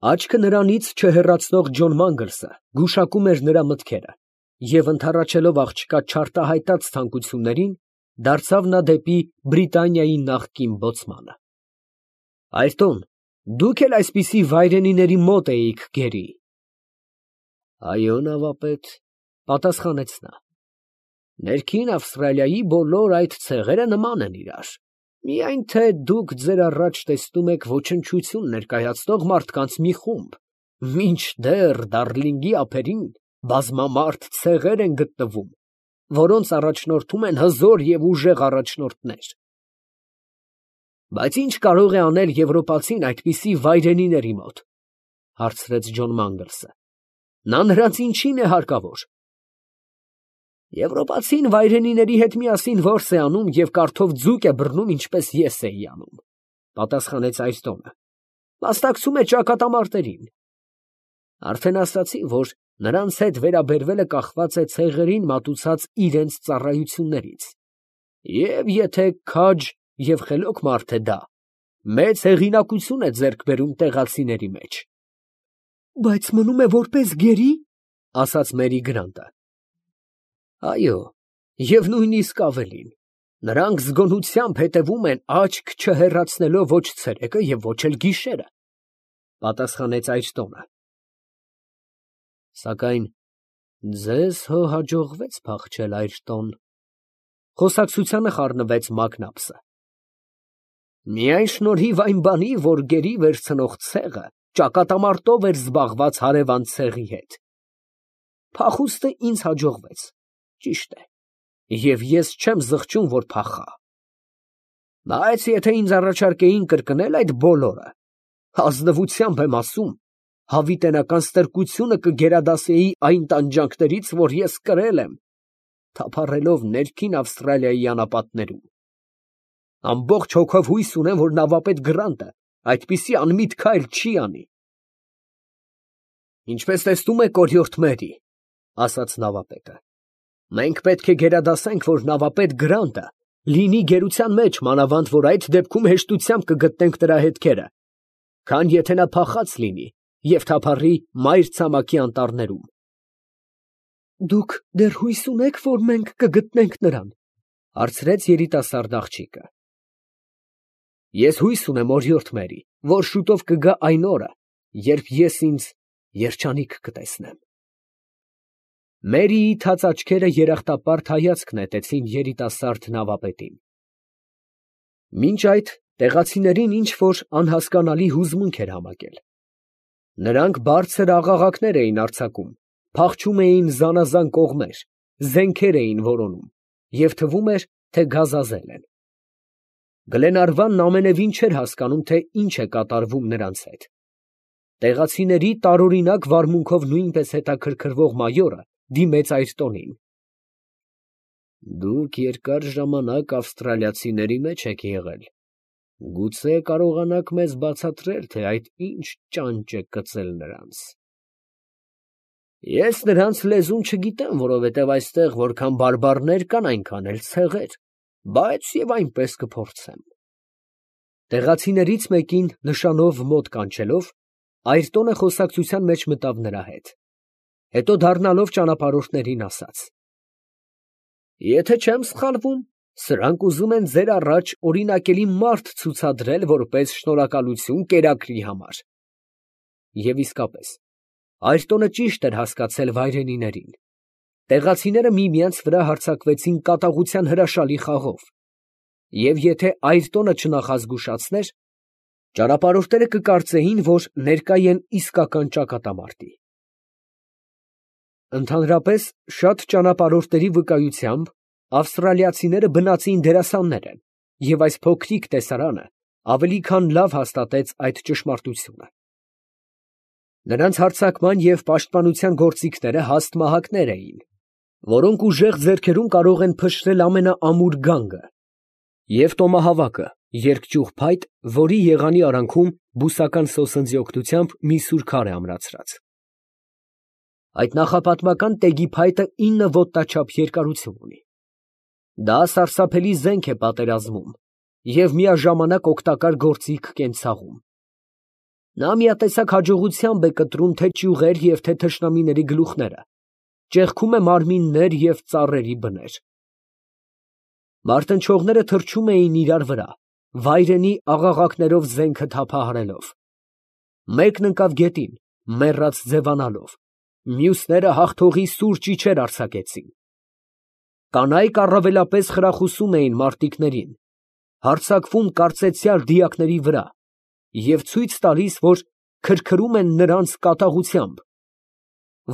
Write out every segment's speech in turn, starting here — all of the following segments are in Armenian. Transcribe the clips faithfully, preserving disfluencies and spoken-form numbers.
Աչքը նրանից չհեռացնող Ջոն Մանգլսը գուշակում էր նրա մտքերը, և ընդառաջելով աղջկա չարտահայտած ցանկություններին, դարձավ նա դեպի Բրիտանիայի նախկին բոցմանը։ ֊ Այրտոն, դուք էլ այսպիսի վայրենիների մոտ էիք գերի։ ֊ Այո, նավապետ, ֊ պատասխանեց նա. ներքին Ավստրալիայի բոլոր այդ ցեղերը նման են իրար, միայն թե դուք ձեր առաջ տեսնում եք ոչնչություն ներկայացնող մարդկանց մի խումբ, մինչդեռ Դարլինգի ափերին բազմամարդ ցեղեր են գտնվում, որոնց առաջնորդում են հզոր և ուժեղ առաջնորդներ։ ֊ Բայց ի՞նչ կարող է անել եվրոպացին այդպիսի վայրենիների մոտ, ֊ հարցրեց Ջոն Մանգլսը. նա նրանց ինչի՞ն է հարկավոր։ ֊ Եվրոպացին վայրենիների հետ միասին որս է անում և կարդով ձուկ է բռնում, ինչպես ես էի անում, ֊ պատասխանեց Այրտոնը, ֊ մասնակցում է ճակատամարտերին։ Արդեն ասացի, որ նրանց հետ վերաբերվելը կախված է ցեղերին մատուցած իրանց ծառայություններից, և եթե քաջ և խելոք մարդ է դա, մեծ հեղինակություն է ձեռք բերում տեղացիների մեջ։ ֊ Բայց մնում է որպես գերի, ֊ ասաց Մերի Գրանտը։ ֊ Այո, և նույնիսկ ավելին, նրանք զգոնությամբ հետևում են աչք չհեռացնելով ոչ ցերեկը և ոչ էլ գիշերը, ֊ պատասխանեց Այրտոնը։ ֊ Սակայն ձեզ հո հաջողվեց փախչել, Այրտոն, ֊ խոսակցությանը խառնվեց Մակնաբսը։ ֊ Միայն շնորհիվ այն բանի, որ գերի վերցնող ցեղը ճակատամարտով էր զբաղված հարևան ցեղի հետ։ Փախուստը ինձ հաջողվեց, ճիշտ է, և ես չեմ զղջում, որ փախա։ Բայց եթե ինձ առաջարկեին կրկնել այդ բոլորը, ազնվությամբ եմ ասում, հավիտենական ստրկությունը կգերադասեի այն տանջանքներից, որ ես կրել եմ, թափառելով ներքին Ավստրալիայի անապատներում։ Ամբողջ հոգով հույս ունեմ, որ նավապետ Գրանտը այդպիսի անմիտ քայլ չի անի։ ֊ Ինչպես տեսնում եք, օրիորդ Մերի, ֊ ասաց նավապետը, ֊ մենք պետք է գերադասենք, որ նավապետ Գրանտը լինի գերության մեջ, մանավանդ որ այդ դեպքում հեշտությամբ կգտնենք նրա հետքերը, քան եթե նա փախած լինի և թափառի Մայրցամաքի անտառներում։ ֊ Դուք դեռ հույս ունե՞ք, որ մենք կգտնենք նրան, ֊ հարցրեց երիտասարդ աղջիկը։ ֊ Ես հույս ունեմ, օրիորդ Մերի, որ շուտով կգա այն օրը, երբ ես ինձ երջանիկ կտեսնեմ։ Մերիի թաց աչքերը երախտապարտ հայացք նետեցին երիտասարդ նավապետին։ Մինչ այդ տեղացիներին ինչ֊որ անհասկանալի հուզմունք էր համակել. նրանք բարձր աղաղակներ էին արձակում, փախչում էին զանազան կողմեր, զենքեր էին որոնում, և թվում էր, թե գազազել են։ Գլենարվանն ամենևին չէր հասկանում, թե ինչ է կատարվում նրանց հետ։ Տեղացիների տարօրինակ վարմունքով նույնպես հետաքրքրվող մայորը դիմեց Այրտոնին։ ֊ Դուք երկար ժամանակ ավստրալիացիների մեջ եք եղել, գուցե կարողանաք մեզ բացատրել, թե այդ ինչ ճանճ է կծել նրանց։ ֊ Ես նրանց լեզուն չգիտեմ, որովհետև այստեղ որքան բարբառներ կան, այնքան էլ ցեղեր, բայց և այնպես կփորձեմ։ Տեղացիներից մեկին նշանով մոտ կանչելով, Այրտոնը խոսակցության մեջ մտավ նրա հետ, հետո դառնալով ճանապարհորդներին ասաց. ֊ Եթե չեմ սխալվում, սրանք ուզում են ձեր առաջ օրինակելի մարդ ցուցադրել որպես շնորհակալություն կերակրի համար։ Եվ իսկապես, Այրտոնը ճիշտ էր հասկացել վայրենիներին։ Տեղացիները միմյանց վրա հարձակվեցին կատաղության հրաշալի խաղով, և եթե Այրտոնը չնախազգուշացներ, ճանապարհորդները կկարծեին, որ ներկա են իսկական ճակատամարտի։ Ընդհանրապես, շատ ճանապարհորդների վկայությամբ, ավստրալիացիները բնածին դերասաններ են, և այս փոքրիկ տեսարանը ավելի քան լավ հաստատեց այդ ճշմարտությունը։ Նրանց հարձակման և պաշտպանության գործիքները հաստ մահակներ էին, որոնք ուժեղ ձեռքերում կարող են փշրել ամենաամուր գանգը, և տոմահավաքը, երկճյուղ փայտ, որի եղանի արանքում բուսական սոսնձի օգնությամբ մի սուր քար է ամրացրած։ Այդ նախապատմական տեգի փայտը ինը ոտնաչափ երկարություն ունի։ Դա սարսափելի զենք է պատերազմում և միաժամանակ օգտակար գործիք կենցաղում։ Նա միատեսակ հաջողությամբ է կտրում թե ճյուղեր և թե թշնամիների գլուխները, ճեղքում է մարմիններ և ծառերի բներ։ Մարտնչողները թռչում էին իրար վրա, վայրենի աղաղակներով զենքը թափահարելով։ Մեկն ընկավ գետին, մեռած ձևանալով, մյուսները հաղթողի սուր ճիչեր արձակեցին։ Կանայք առավելապես խրախուսում էին մարտիկներին, հարձակվում կարծեցյալ դիակների վրա և ցույց տալիս, որ քրքրում են նրանց կատաղությամբ,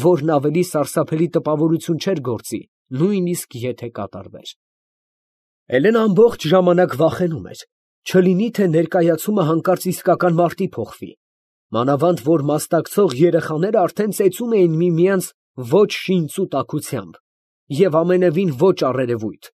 որն ավելի սարսափելի տպավորություն չէր գործի, նույնիսկ եթե կատարվեր։ Հելենը ամբողջ ժամանակ վախենում էր, չլինի թե ներկայացումը հանկարծ իսկական մարտի փոխվի, մանավանդ որ մասնակցող երեխաները արդեն ծեծում էին միմյանց ոչ շինծու տաքությամբ և ամենևին ոչ առերևույթ։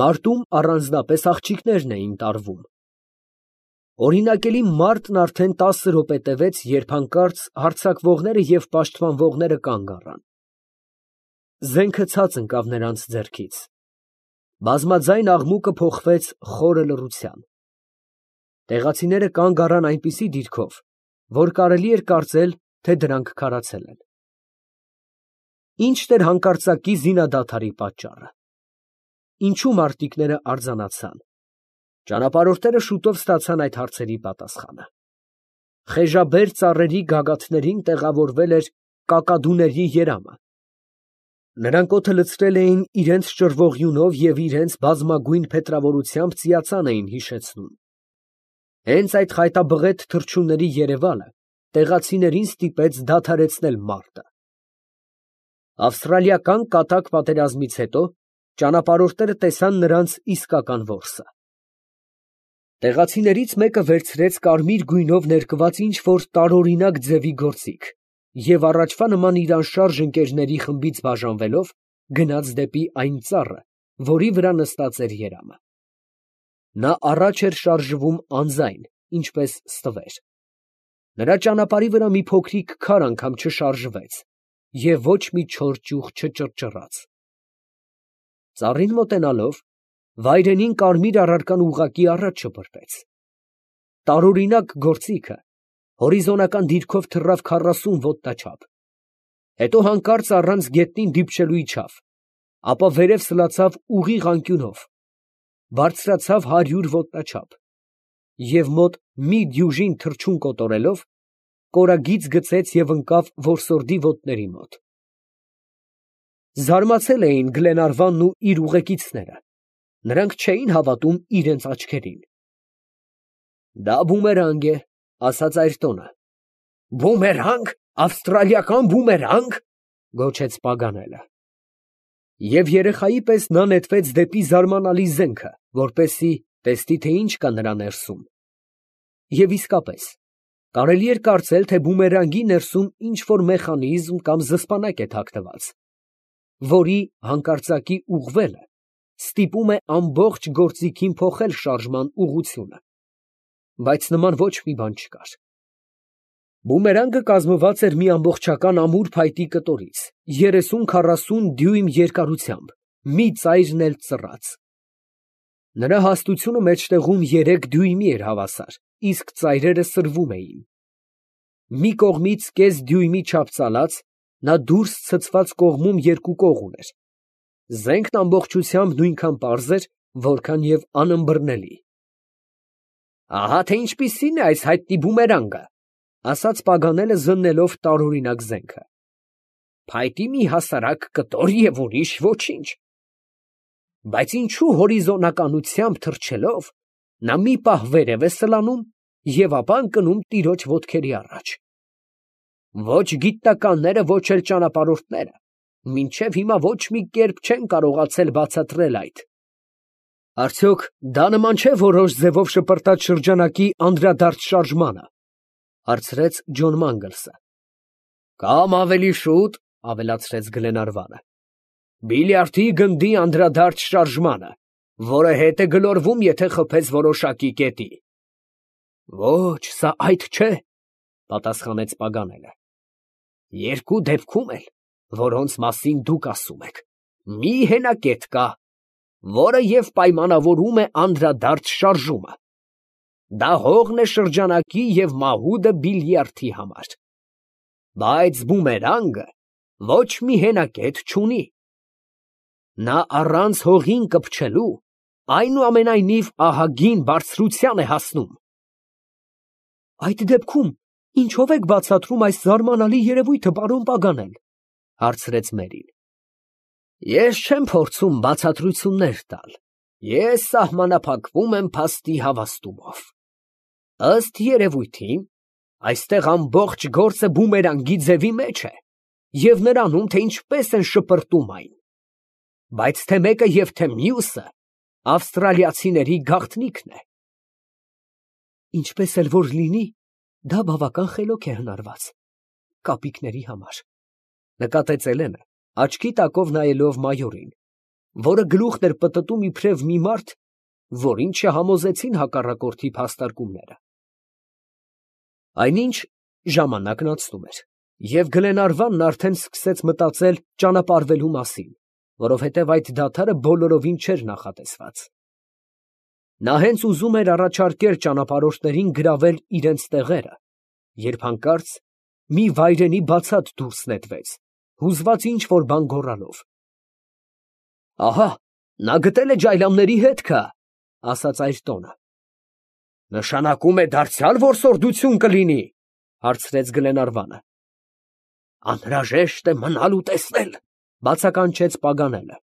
Մարտում առանձնապես աղջիկներն էին տարվում։ Օրինակելի մարտն արդեն տասը րոպե տևեց, երբ հանկարծ հարձակվողները և պաշտպանվողները կանգ առան։ Զենքը ցած ընկավ նրանց ձեռքից։ Բազմաձայն աղմուկը փոխվեց խորը լռության։ Տեղացիները կանգ առան այնպիսի դիրքով, որ կարելի էր կարծել, թե դրանք քարացել են։ Ի՞նչն էր հանկարծակի զինադադարի պատճառը։ Ինչո՞ւ մարտիկները արձանացան։ Ճանապարհորդները շուտով ստացան այդ հարցերի պատասխանը։ Խեժաբեր ծառերի գագաթներին տեղավորվել էր կակադուների երամը։ Նրանք օդը լցրել էին իրենց ճռվող յունով և իրենց բազմագույն փետրավորությամբ ծիածան էին հիշեցնում։ Հենց այդ խայտաբղետ թռչունների երևալը տեղացիներին ստիպեց դադարեցնել մարտը։ Ավստրալիական կատակ պատերազմից հետո ճանապարհորդները տեսան նրանց իսկական որսը։ Տեղացիներից մեկը վերցրեց կարմիր գույնով ներկված ինչ֊որ տարօրինակ ձևի գործիք և առաջվա նման իր անշարժ ընկերների խմբից բաժանվելով, գնաց դեպի այն ծառը, որի վրա նստած էր երամը։ Նա առաջ էր շարժվում անձայն, ինչպես ստվեր։ Նրա ճանապարհի վրա մի փոքրիկ քար անգամ չշարժվեց և ոչ մի չոր ճյուղ չճռճռաց։ Ծառին մոտենալով, վայրենին կարմիր առարկան ուղղակի առաջ շպրտեց։ Տարօրինակ գործիքը հորիզոնական դիրքով թռավ քառասուն ոտնաչափ, հետո հանկարծ առանց գետնին դիպչելու իջավ, ապա վերև սլացավ ուղիղ անկյունով, բարձրացավ հարյուր ոտնաչափ և մոտ մի դյուժին թռչուն կոտորելով, կորագիծ գցեց և ընկավ որսորդի ոտների մոտ։ Զարմացել էին Գլենարվանն ու իր ուղեկիցները, նրանք չէին հավատում իրենց աչքերին։ Դա բումերանգ է, ասաց այրտոնը։ Բումերանգ, ավստրալիական բումերանգ, գոչեց Պագանելը։ Եվ երեխայի պես նա նետվեց դեպի զարմանալի զենքը, որպեսզի տեսնի, թե ինչ կա նրա ներսում։ Եվ իսկապես, կարելի էր կարծել, թե բումերանգի ներսում ինչ֊որ մեխանիզմ կամ զսպանակ է թաքնված, որի հանկարծակի ուղղվելը ստիպում է ամբողջ գործիքին փոխել շարժման ուղղությունը։ Բայց նման ոչ մի բան չկար։ Բումերանգը կազմված էր մի ամբողջական ամուր փայտի կտորից, երեսուն֊քառասուն դյույմ երկարությամբ, մի ծայրն էլ ծռած։ Նրա հաստությունը մեջտեղում երեք դյույմի էր հավասար, իսկ ծայրերը սրվում էին։ Մի կողմից կես դյույմի չափ ծալած, նա դուրս ցցված կողմում երկու կող ուներ։ Զենքն ամբողջությամբ նույնքան պարզ էր, որքան և անըմբռնելի։ Ահա թե ինչպիսին է այս հայտնի բումերանգը, ասաց Պագանելը զննելով տարօրինակ զենքը։ Փայտի մի հասարակ կտոր և ուրիշ ոչինչ։ Բայց ինչու հորիզոնականությամբ թռչելով, նա մի պահ վերև է սլանում և ապա ընկնում տիրոջ ոտքերի առաջ։ Ոչ գիտնականները, ոչ էլ ճանապարհորդները մինչև հիմա ոչ մի կերպ չեն կարողացել բացատրել այդ։ Արդյոք դա նման չէ որոշ ձևով շպրտած շրջանակի անդրադարձ շարժմանը, հարցրեց Ջոն Մանգլսը։ Կամ ավելի շուտ, ավելացրեց Գլենարվանը, բիլիարդի գնդի անդրադարձ շարժմանը, որը հետ է գլորվում, եթե խփես որոշակի կետի։ Ոչ, սա այդ չէ, պատասխանեց Պագանելը։ Երկու դեպքում էլ, որոնց մասին դուք ասում եք, մի հենակետ կա, որը և պայմանավորում է անդրադարձ շարժումը։ դա հողն է շրջանակի և մահուդը բիլիարդի համար, բայց բումերանգը ոչ մի հենակետ չունի. նա առանց հողին կպչելու այնուամենայնիվ ահագին բարձրության է հասնում։ Այդ դեպքում ինչո՞վ եք բացատրում այս զարմանալի երևույթը, պարոն Պագանել, հարցրեց Մերին։ Ես չեմ փորձում բացատրություններ տալ, ես սահմանափակվում եմ փաստի հավաստումով։ Ըստ երևույթին, այստեղ ամբողջ գործը բումերանգի ձևի մեջ է և նրանում, թե ինչպես են շպրտում այն, բայց թե մեկը և թե մյուսը ավստրալիացիների գաղտնիքն է։ Ինչպես էլ որ լինի, դա բավական խելոք է հնարված կապիկների համար, նկատեց Էլենը, աչքի տակով նայելով մայորին, որը գլուխն էր պտտում իբրև մի մարդ, որին չհամոզեցին հակառակորդի փաստարկումները։ Այնինչ ժամանակն անցնում էր, և Գլենարվանն արդեն սկսեց մտածել ճանապարհվելու մասին, որովհետև այդ դադարը բոլորովին չէր նախատեսված։ Նա հենց ուզում էր առաջարկել ճանապարհորդներին գրավել իրենց տեղերը, երբ հանկարծ մի վայրենի բացատ դուրս նետվեց, հուզված ինչ֊որ բան գոռալով։ Ահա, նա գտել է ջայլամների հետքը, ասաց Այրտոնը։ Նշանակում է դարձյալ որսորդություն կլինի, հարցրեց Գլենարվանը։ Անհրաժեշտ է մնալ ու տեսնել, բացականչեց Պագանելը։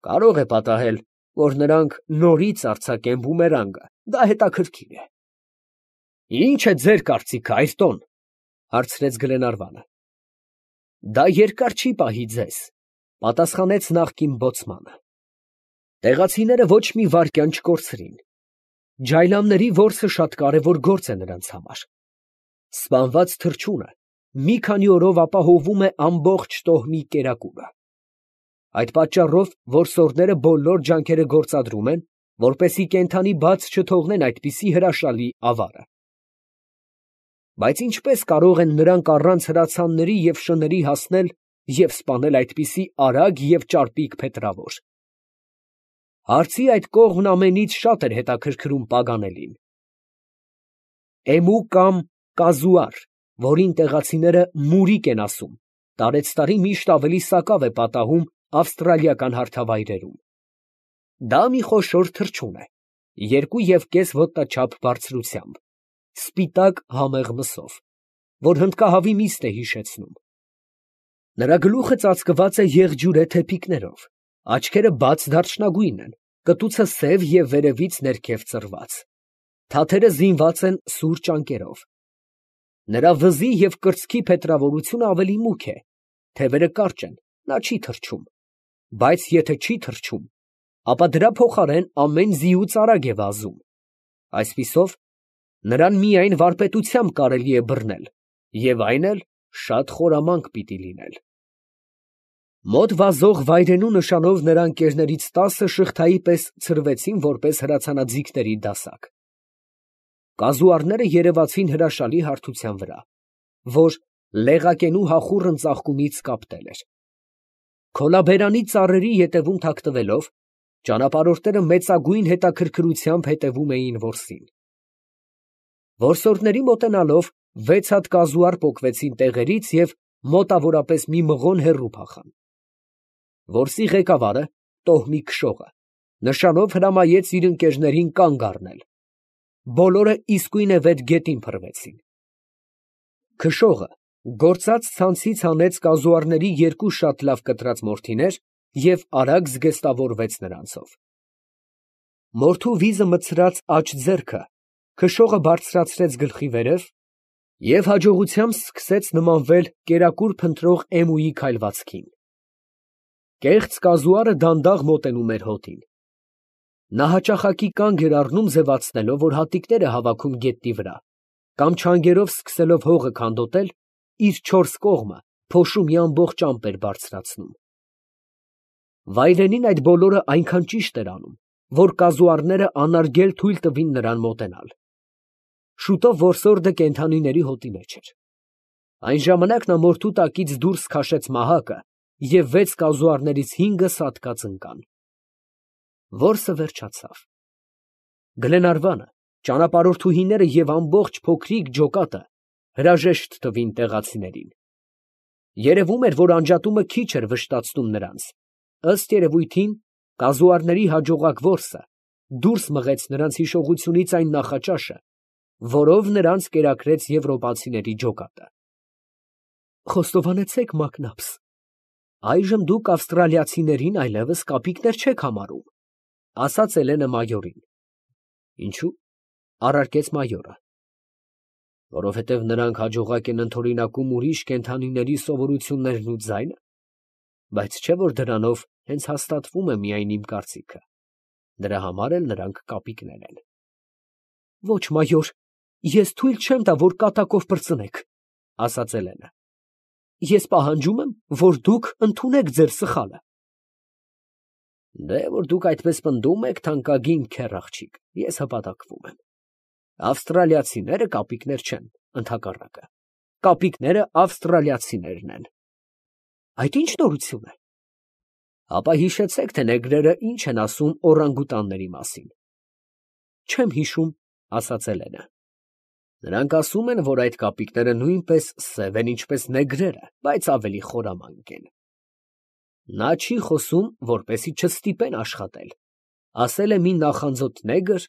Կարող է պատահել, որ նրանք նորից արձակեն բումերանգը, դա հետաքրքիր է։ Ինչ է ձեր կարծիքը, Այրտոն, հարցրեց Գլենարվանը։ Դա երկար չի պահի ձեզ, պատասխանեց նախկին բոցմանը։ Տեղացիները ոչ մի վայրկյան չկորցրին։ Ջայլամների որսը շատ կարևոր գործ է նրանց համար։ Սպանված թռչունը մի քանի օրով ապահովում է ամբողջ տոհմի կերակուրը։ Այդ պատճառով որսորդները բոլոր ջանքերը գործադրում են, որպեսզի կենդանի բաց չթողնեն այդպիսի հրաշալի ավարը։ Բայց ինչպես կարող են նրանք առանց հրացանների և շների հասնել և սպանել այդպիսի արագ և ճարպիկ փետրավոր։ Հարցի այդ կողմն ամենից շատ էր հետաքրքրում Պագանելին։ Էմու կամ կազուար, որին տեղացիները մուրիկ են ասում, տարեցտարի միշտ ավելի սակավ է պատահում ավստրալիական հարթավայրերում։ Դա մի խոշոր թռչուն է, երկու և կես ոտնաչափ բարձրությամբ, սպիտակ համեղ մսով, որ հնդկահավի միստ է հիշեցնում։ Նրա գլուխը ծածկված է եղջյուրե թեփիկներով, աչքերը բաց դարչնագույն են, կտուցը սև և վերևից ներքև ծռված, թաթերը զինված են սուր ճանկերով։ Նրա վզի և կրծքի փետրավորությունը ավելի մուգ է, թևերը կարճ են, նա չի թռչում, բայց եթե չի թռչում, ապա դրա փոխարեն ամեն ձիուց արագ է վազում, այսպիսով, նրան միայն վարպետությամբ կարելի է բռնել, և այն էլ շատ խորամանկ պիտի լինել։ Մոտ վազող վայրենու նշանով նրա ընկերներից տասը շղթայի պես ցրվեցին որպես հրացանաձիգների դասակ։ Կազուարները երևացին հրաշալի հարթության վրա, որ լեղակենու հախուռն ծաղկումից կապտել էր։ Քոլաբերանի ծառերի ետևում թաքնվելով, ճանապարհորդները մեծագույն հետաքրքրությամբ հետևում էին որսին։ Որսորդների մոտենալով վեց հատ կազուար պոկվեցին տեղերից և մոտավորապես մի մղոն հեռու փախան։ Որսի ղեկավարը, տոհմի քշողը, նշանով հրամայեց իր ընկերներին կանգ առնել։ Բոլորը իսկույնևեթ գետին փռվեցին։ Քշողը գործած ցանցից հանեց կազուարների երկու շատ լավ կտրած մորթիներ և արագ զգեստավորվեց նրանցով։ Մորթու վիզը մտցրած աջ ձեռքը քշողը բարձրացրեց գլխի վերև և հաջողությամբ սկսեց նմանվել կերակուր փնտրող էմուի քայլվածքին։ Կեղծ կազուարը դանդաղ մոտենում էր հոտին։ Նա հաճախակի կանգ էր առնում ձևացնելով, որ հատիկներ է հավաքում գետնի վրա, կամ չանգերով սկսելով հողը քանդոտել, իր չորս կողմը փոշու մի ամբողջ ամպ էր բարձրացնում։ Վայրենին այդ բոլորը այնքան ճիշտ էր անում, որ կազուարները անարգել թույլ տվին նրան մոտենալ։ Շուտով որսորդը կենդանիների հոտի մեջ էր։ Այն ժամանակ նա մորթու տակից դուրս քաշեց մահակը և վեց կազուարներից հինգը սատկած ընկան։ Որսը վերջացավ։ Գլենարվանը, Ճանապարհորդուհիները և ամբողջ փոքրիկ ջոկատը հրաժեշտ տվին տեղացիներին։ Երևում էր, որ անջատումը քիչ էր վշտացնում նրանց, ըստ երևույթին, կազուարների հաջողակ որսը դուրս մղեց նրանց հիշողությունից այն նախաճաշը, որով նրանց կերակրեց եվրոպացիների ջոկատը։ Խոստովանեցեք, Մակնաբս, այժմ դուք ավստրալիացիներին այլևս կապիկներ չեք համարում, ֊ ասաց Էլենը մայորին։ ֊ Ինչո՞ւ, ֊ առարկեց մայորը։ ֊ Որովհետև նրանք հաջողակ են ընդօրինակում ուրիշ կենդանիների սովորություններն ու ձայնը, բայց չէ՞ որ դրանով հենց հաստատվում է միայն իմ կարծիքը, դրա համար էլ նրանք կապիկներ են։ ֊ Ո՛չ, մայոր, ես թույլ չեմ տա, որ կատակով պրծնեք, ֊ ասաց Էլենը։ Ես պահանջում եմ, որ դուք ընդունեք ձեր սխալը։ Դե, որ դուք այդպես պնդում եք, թանկագին քեռ աղջիկ, ես հպատակվում եմ։ Ավստրալիացիները կապիկներ չեն, ընդհակառակը, կապիկները ավստրալիացիներն են։ Այդ ի՞նչ նորություն է։ Ապա հիշեցեք, թե նեգրերը ինչ են ասում օրանգուտանների մասին։ Չեմ հիշում, ֊ ասաց Էլենը։ Նրանք ասում են, որ այդ կապիկները նույնպես սև են, ինչպես նեգրերը, բայց ավելի խորամանկ են։ Նա չի խոսում, որպեսզի չստիպեն աշխատել, ասել է մի նախանձոտ նեգր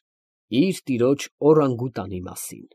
իր տիրոջ օրանգուտանի մասին։